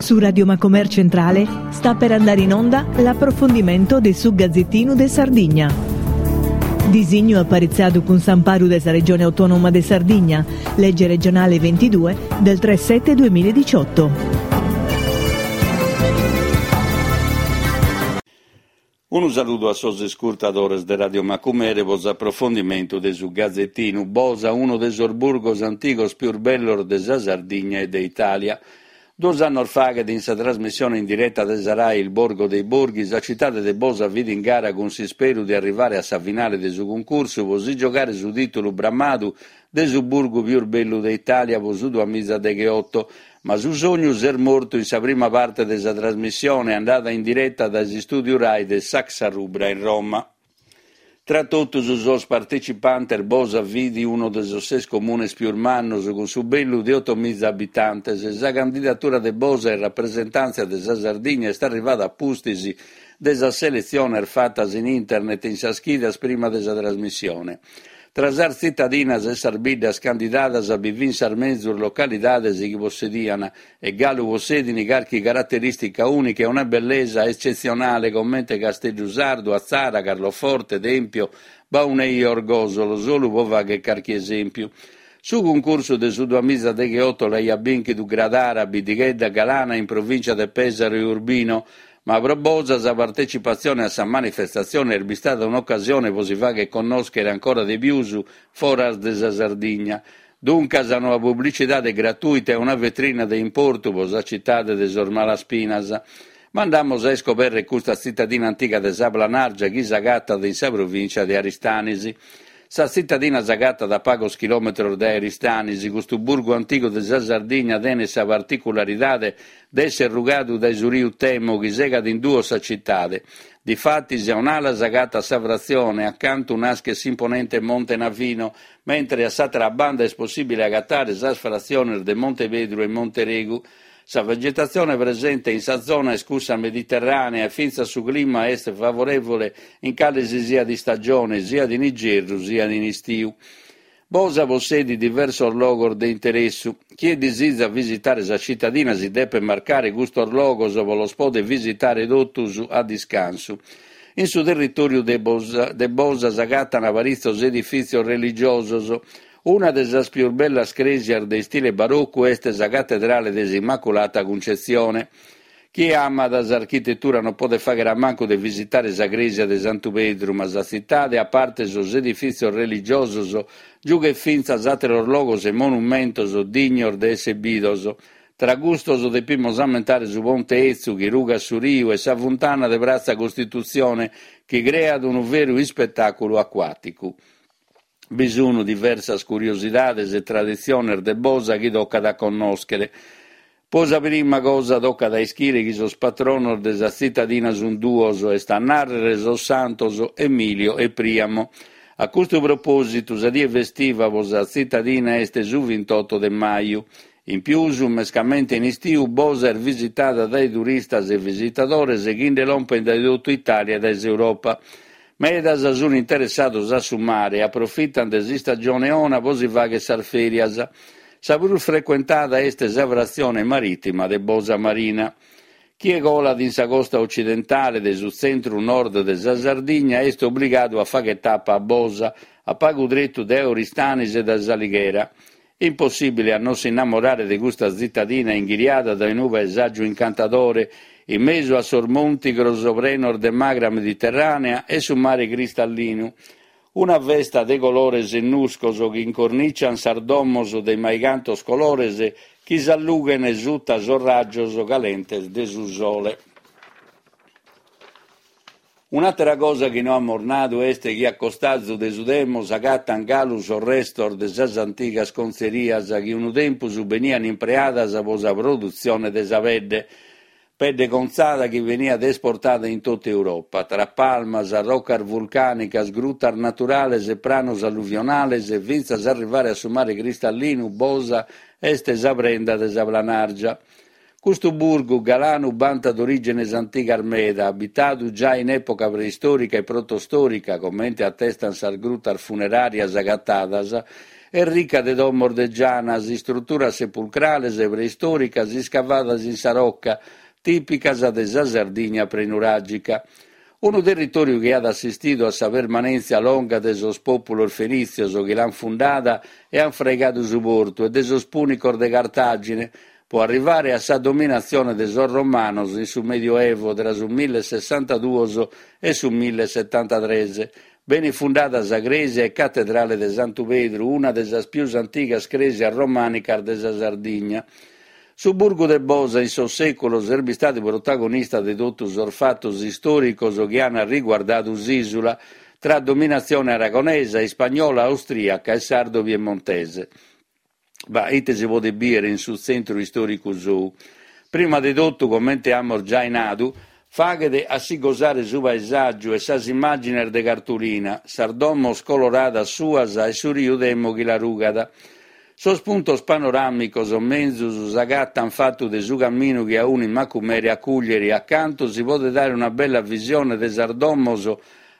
Su Radio Macomer Centrale sta per andare in onda l'approfondimento de su Gazettinu de Sardigna. Disignu aparitzadu cun s'amparu de sa Regione Autonoma de Sardigna, lege regionale 22 del 3 7 2018. Unu saludu a sos iscurtadores de Radio Macumere pro s'aprofondimentu de su Gazetinu Bosa, unu de sos burgos antigos pius bellos de sa Sardigna e de Itàlia. Duos annos faghet, in sa trasmissione in direta de sa Rai Il Borgo dei Borghi, sa citade de Bosa fit in gara cun s'isperu de arrivare a sa finale de su cuncursu pro si giogare su tìtulu bramadu de su burgu pius bellu de Itàlia pro su duamizadegheoto, ma su sognu s'est mortu in sa prima parte de sa trasmissione andada in direta dae s'istùdiu Rai de Saxa Rubra in Roma. Tra totus sos partecipantes Bosa fit unu de sos ses comunes pius mannos, cun su bellu de otomiza abitantes. Sa candidatura de Bosa in rapresentàntzia de sa Sardigna est arrivada a pustis de sas seletziones fatas in internet in sas chidas prima de sa trasmissione. Tra sas tzitadinas e sas biddas candidadas bi fin sas menzus localidades chi possedian e galu possedin carchi caraterìstica ùnica e una bellesa etzetzionale comente Casteddu Sardu, Atzara, Carloforte, Tèmpio, Baunei e Orgòsolo, solu pro fagher carchi esèmpiu. Su cuncursu de su duamizadegheoto l'aiat bìnchidu Gradara, biddighedda galana in provìncia de Pèsaro e Urbino, Ma pro Bosa sa partecipatzione a sa manifestatzione est bistada un'ocasione pro si fagher connòschere ancora de pius foras de sa Sardigna. Duncas una publicidade gratùita e una vetrina de importu pro sa citade de sos Malaspinas. Ma andamus a iscobèrrere custa tzitadina antiga de sa Planàrgia chi s'agatat in sa provìncia de Aristanis. Sa tzitadina s'agatat a pagos chilòmetros dae Aristanis. Custu burgu antigu de sa Sardigna tenet sa particularidade de èssere rugadu dae su riu Temo chi segat in duos sa citade. Difatis a un'ala s'agatat sa fratzione, acantu naschet s'imponente Monte Navino, mentre a s'àtera banda est possìbile agatare sas fratziones de Monte Pedru e Monte Regu. Sa vegetatzione presente in sa zona est cussa mediterrànea e fintzas su clima est favorèvole in cale si siat istagione, siat in igerru siat in istiu. Bosa possedit diversos logos de interessu. Chie disizat visitare sa citadina si depet marcare custos logos pro los poder visitare totus a discansu. In su territòriu de de Bosa s'agatan paritzos edifìtzios religiosos. Una de sas pius bellas crèsias de istile barocu est sa Catedrale de s'Immaculata Cuncetzione. Chie amat s'architetura non podet fàghere a mancu de visitare sa crèsia de Santu Pedru, ma sa tzitade, a parte sos edifìtzios religiosos, giughet fintzas àteros logos e monumentos dignos de èssere bidos. Tra custos depimus ammentare su Ponte 'Etzu chi rugat su riu e sa funtana de Pratza Costitutzione chi creat unu veru ispetàculu acuàticu. Bi sun diversas curiosidades e traditziones de Bosa chi tocat a connòschere. Pro sa prima cosa tocat a ischire chi sos patronos de sa tzitadina sun duos, est a nàrrere sos santos Emilio e Priamo. A custu propòsitu sa die festiva pro sa tzitadina est su vintotto de maju. In pius, mescamente in istiu, Bosa est visitada dae turistas e visitadores chi nde lompent dae totu Itàlia e dae s'Europa. Medas sun interessados a su mare e aprofitan de s'istagione 'ona pro si fagher sas fèrias. Sa prus frecuentada est sa fratzione marìtima de Bosa Marina. Chie colat in sa costa ocidentale de su tzentru nord de sa Sardigna est obligadu a fagher tapa a Bosa, a pagu tretu dae Oristanis e dae S'Alighera. Impossìbile a non s'innamorare de custa tzitadina inghiriada dae unu paesàgiu incantadore, in mesu a sos montigros prenos de magra mediterrànea e su mare cristallinu. Una festa de colores e nuscos chi incornician sas domos de maicantos colores chi s'allughen suta sos rajos calentes de su sole. Un'àtera cosa chi no amus nadu est chi a costazu de su Temo s'agatan galu sos restos de sas antigas contzerias chi unu tempus benian impreadas pro sa produtzione de sa pedde, pedde contzada chi beniat esportada in totu Europa, tra palmas, rocas vulcànicas, grutas naturales e pranos alluvionales, fintzas a arrivare a su mare cristallinu, Bosa est sa prenda de sa Planàrgia. Custu burgu galanu bantat orìgenes antigas meda, abitadu giai in època preistòrica e protostòrica, comente atestant sas grutas funeràrias agatadas. Est rica de domos de gianas, istruturas sepulcrales preistòricas iscavadas in sa roca, tìpicas de sa Sardigna prenuràgica. Unu territòriu chi at assistidu a sa permanèntzia longa de sos pòpulos fenìtzios chi l'ant fundada e ant fraigadu su portu e de sos pùnicos de Cartàgine, pro arrivare a sa dominatzione de sos romanos in su Medioevo tra su millesessantaduos e su millesetantatres. Benit fundada sa crèsia e catedrale de Santu Pedru, una de sas pius antigas crèsias romànicas de sa Sardigna. Su burgu de Bosa in sos sèculos est bistadu protagonista de totu sos fatos istòricos chi ant riguardadu s'ìsula, tra dominatzione aragonesa, ispagnola, austrìaca e sardo-piemontese. Ma ite si podet bìere in su tzentru istòricu sou? Prima de totu, comente amus giai nadu, faghet a si gosare su paesàgiu e sas immàgines de cartulina, sas domos coloradas suas e su riu Temo chi la rugat. Sos puntos panoràmicos menzus s'agatant fatu de su caminu chi aunit Macumere a Cùglieri, acantu si podet dare una bella visione de sas domos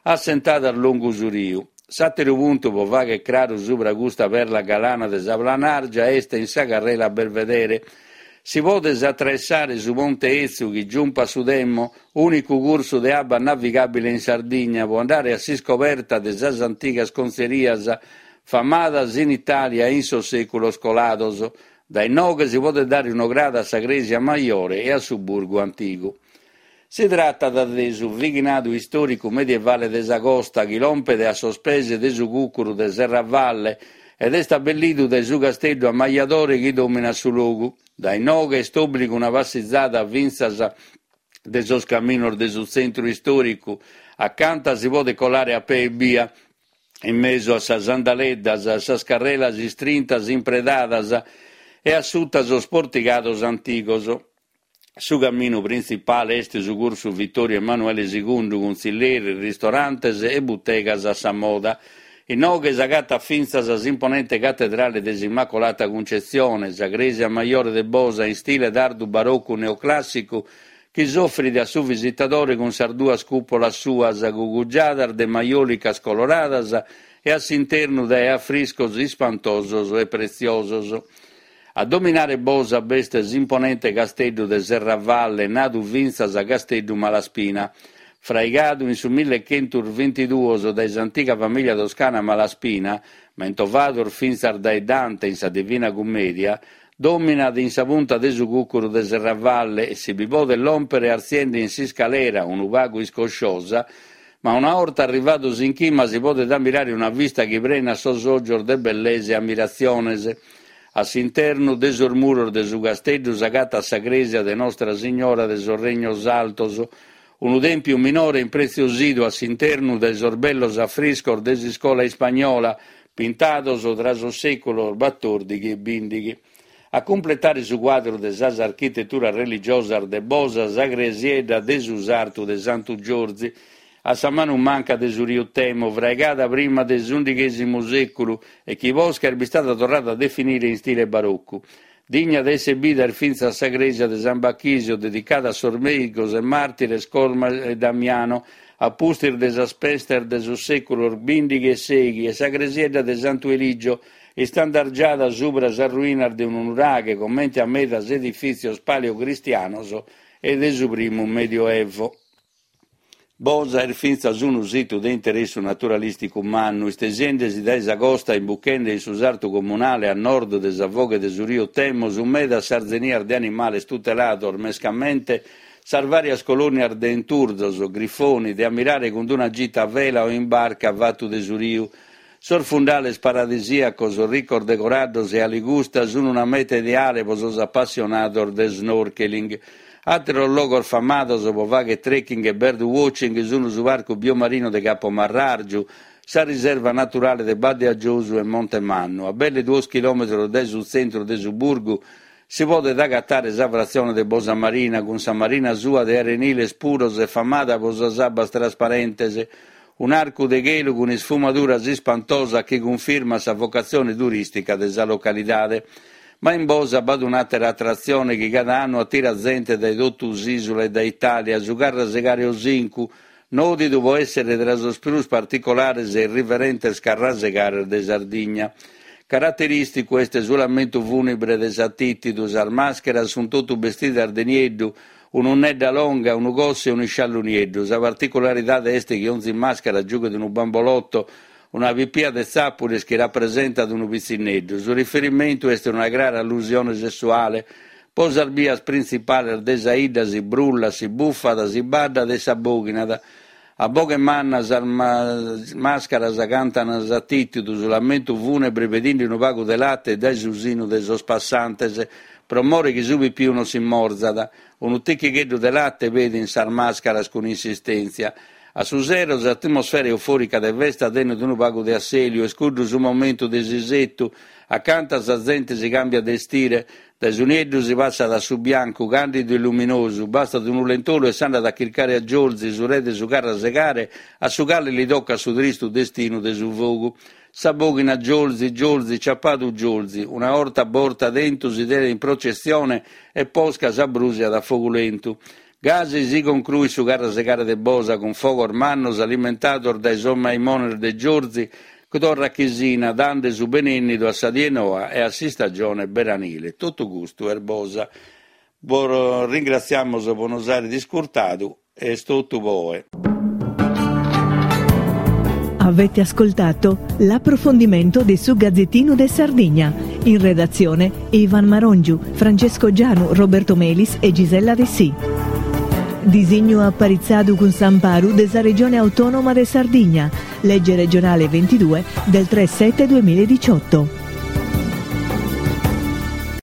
assentadas longu su riu. S'àteru puntu pro fàghere craru subra custa perla galana de sa Planàrgia est in sa carrela Belvedere. Si podet atraessare su ponte 'etzu chi giumpat su Temo, ùnicu cursu de abba navigàbile in Sardigna, pro andare a s'iscoberta de sas antigas contzerias famadas in Itàlia in sos sèculos colados. Dae inoghe si podet dare un'ograda a sa crèsia majore e a su burgu antigu. Si tratat de su bighinadu istòricu medievale de sa costa chi lompet a sos pes de su cùcuru de Serravalle ed est abbellidu dae su casteddu ammajadore chi dòminat su logu. Dae inoghe est òbligu una passizada fintzas de sos caminos de su tzentru istòricu, acanta si podet colare a pee ebbia, in mesu a sas andaleddas, a sas carrelas istrintas impredadas e a suta sos portigados antigos. Su caminu printzipale est su cursu Vittorio Emanuele Segundu cun tzilleris, ristorantes e butegas a sa moda. Inoghe s'agatat fintzas s'imponente catedrale de s'Immacolata Cuncetzione, sa crèsia majore de Bosa in stile tardu barocu neoclàssicu chi s'ofrit a su visitadore cun sas duas cùpolas suas cugugiadas de majòlicas coloradas e a s'internu dae afriscos ispantosos e pretziosos. A dominare Bosa b'est s'imponente casteddu de Serravalle, nadu fintzas Casteddu Malaspina. Fraigadu in su millechentusbintiduos dae s'antiga famìlia toscana Malaspina, mentovados fintzas dae Dante in sa Divina Cummedia, dòminat in sa punta de su cùcuru de Serravalle e si bi podet lòmpere artziende in s'iscalera, unu pagu iscosciosa, ma una 'orta arrivados in chima si podet ammirare una vista chi prenat sos ògios de bellesa e ammiratziones. A s'internu de sos muros de su casteddu s'agatat sa crèsia de Nostra Signora de sos Regnos Altos, unu tèmpiu minore impretziosidu a s'internu dae sos bellos afriscos de s'iscola ispagnola, pintados tra sos sèculos batòrdighi e bìndighi. A cumpletare su cuadru de sas architeturas religiosas de Bosa sa cresiedda de su sartu de Santu Giorzi, a sa manu manca de su riu Temo, fraigada prima de s'undighèsimu sèculu e chi posca est bistada torrada a definire in stile barocu. Digna de èssere bida est fintzas sa crèsia de San Bachisio, dedicada a sos mèigos e màrtires Cosma e Damiano, a pustis de sas pestes de sos sèculos bìndighi e sèighi, e sa cresiedda de Santu Eligio, istandargiada subra sas ruinas de unu nuraghe, comente a medas edifìtzios paleocristianos e de su primu Medioevo. Bosa est fintzas unu situ de interessu naturalìsticu mannu, istesiende-si dae sa costa e imbuchende in su sartu comunale a nord de sa foghe de su riu Temo sunt medas sas zenias de animales tutelados, mescamente sas vàrias colònias de enturzos, grifoni, de ammirare cun una gita a vela o in barca fatu de su riu. Sos fundales paradisìacos ricos de coraddos e aligusta sunt una meta ideale pro sos apassionados de snorkeling. Àteros logos famados pro fàghere trekking e birdwatching sunt su Parcu Biomarino de Capo Marrargiu, sa Riserva Naturale de Badde a Giosu e Monte Mannu. A belle duos chilòmetros dae su tzentru de su burgu si podet agatare sa fratzione de Bosa Marina, cun sa marina sua de areniles puros e famada pro sas abbas trasparentes, Un'arcu de chelu cun isfumaduras ispantosas chi cunfirmat sa vocatzione turìstica de sa localidade. Ma in Bosa b'at un'àtera atratzione chi cada annu atirat zente dae totu s'ìsula e dae Itàlia, su Carrasegare Osincu, nòdidu pro èssere tra sos prus particolares e irriverentes carrasegares de Sardigna. Caraterìsticu est su lamentu fùnebre de s'atìtidu, sas màscheras sunt totu bestidas de nieddu, un'unnedda longa, unu cosse e un'isciallu nieddu. Sa particularidade est chi onzi màschera giughet unu bambolotto, una pipia de tzàpules chi rapresentat unu pitzinneddu. Su riferimentu est una crara allusione sessuale. Po sas bias printzipales de sa 'idda si brullat, si bufat, si baddat e s'abòghinat. A boghe manna sas màscaras cantan s'atìtidu, su lamentu fùnebre pedinde unu pagu de late dae su sinu de sos passantes, pro more chi su pipiu non si morzat. Unu tichigheddu de late pedin sas màscaras cun insistèntzia. A su sero s'atmosfera eufòrica de festa tenet unu pagu de assèliu, est cuddu su momentu de s'isetu, acanta sa zente si càmbiat de estire, Dae su nieddu si passat a su biancu, càndidu e luminosu, bastat unu lentolu e s'andat a chircare a Giolzi, su re de su carrasegare, a su cale li tocat su tristu destinu de su fogu. S'abòghinat Giolzi, Giolzi, ciapadu Giolzi. Una 'orta borta tentu si tenet in processione e posca s'abrùsiat a fogu lentu. Gasi si concruit su carrasegare de Bosa cun fogos mannos alimentados dae sos maimones de Giorzi chi torrat chisina dande su benennidu a sa die noa e a s'istagione beranile. Totu custu est Bosa. Bos ringratziamos pro nos àere iscurtadu e est totu po oe. Avete ascoltato l'approfondimento de su Gazzettino de Sardigna. In redazione Ivan Marongiu, Francesco Gianu, Roberto Melis e Gisella Dessì. Disignu aparitzadu cun s'amparu de sa Regione Autonoma de Sardigna, legge regionale 22 del 3 7 2018.